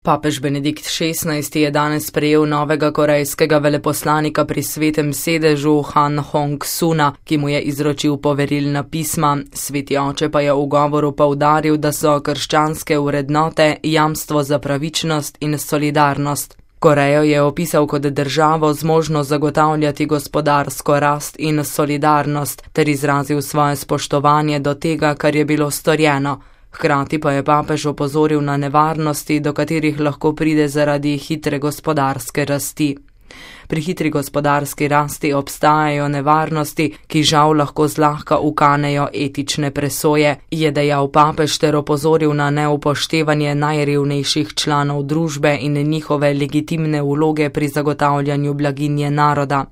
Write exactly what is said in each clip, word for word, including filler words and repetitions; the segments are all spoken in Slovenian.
Papež Benedikt šestnajsti je danes sprejel novega korejskega veleposlanika pri Svetem sedežu Han Hong-suna, ki mu je izročil poverilna pisma. Sveti oče pa je v govoru poudaril, da so krščanske vrednote jamstvo za pravičnost in solidarnost. Korejo je opisal kot državo zmožno zagotavljati gospodarsko rast in solidarnost ter izrazil svoje spoštovanje do tega, kar je bilo storjeno. Hkrati pa je papež opozoril na nevarnosti, do katerih lahko pride zaradi hitre gospodarske rasti. Pri hitri gospodarski rasti obstajajo nevarnosti, ki žal lahko zlahka ukanejo etične presoje, je dejal papež ter opozoril na neupoštevanje najrevnejših članov družbe in njihove legitimne vloge pri zagotavljanju blaginje naroda.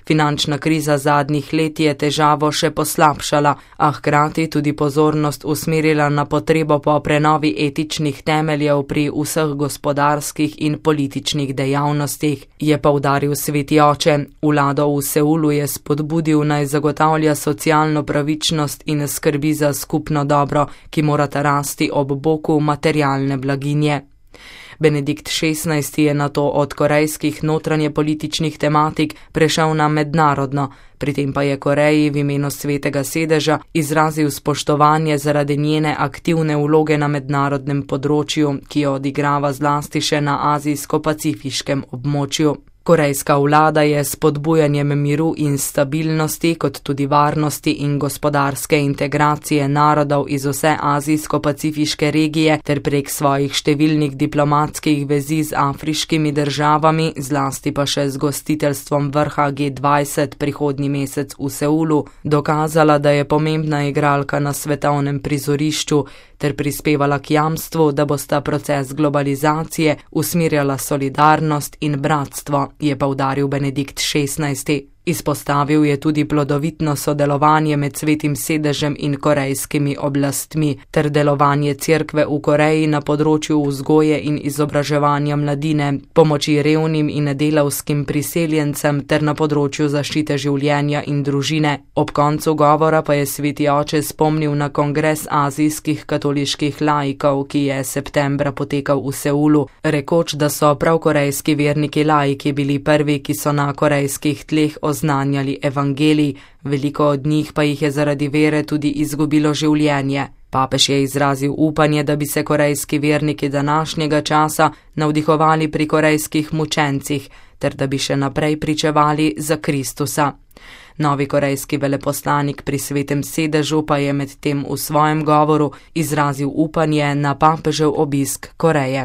Finančna kriza zadnjih let je težavo še poslabšala, a hkrati tudi pozornost usmerila na potrebo po prenovi etičnih temeljev pri vseh gospodarskih in političnih dejavnostih, je poudaril sveti oče. Vlado v Seulu je spodbudil naj zagotavlja socialno pravičnost in skrbi za skupno dobro, ki morata rasti ob boku materialne blaginje. Benedikt šestnajsti je nato od korejskih notranjepolitičnih tematik prešel na mednarodno, pri tem pa je Koreji v imenu Svetega sedeža izrazil spoštovanje zaradi njene aktivne vloge na mednarodnem področju, ki jo odigrava zlasti še na azijsko-pacifiškem območju. Korejska vlada je s spodbujanjem miru in stabilnosti, kot tudi varnosti in gospodarske integracije narodov iz vse azijsko-pacifiške regije ter prek svojih številnih diplomatskih vezi z afriškimi državami, zlasti pa še z gostiteljstvom vrha G dvajset prihodnji mesec v Seulu, dokazala, da je pomembna igralka na svetovnem prizorišču ter prispevala k jamstvu, da bosta proces globalizacije usmerjala solidarnost in bratstvo, je poudaril Benedikt šestnajsti. Izpostavil je tudi plodovitno sodelovanje med Svetim sedežem in korejskimi oblastmi ter delovanje cerkve v Koreji na področju vzgoje in izobraževanja mladine, pomoči revnim in delavskim priseljencem ter na področju zaščite življenja in družine. Ob koncu govora pa je sveti oče spomnil na kongres azijskih katoliških laikov, ki je septembra potekal v Seulu, rekoč, da so prav korejski verniki laiki bili prvi, ki so na korejskih tleh oznanjali evangelij, veliko od njih pa jih je zaradi vere tudi izgubilo življenje. Papež je izrazil upanje, da bi se korejski verniki današnjega časa navdihovali pri korejskih mučencih, ter da bi še naprej pričevali za Kristusa. Novi korejski veleposlanik pri Svetem sedežu pa je medtem v svojem govoru izrazil upanje na papežev obisk Koreje.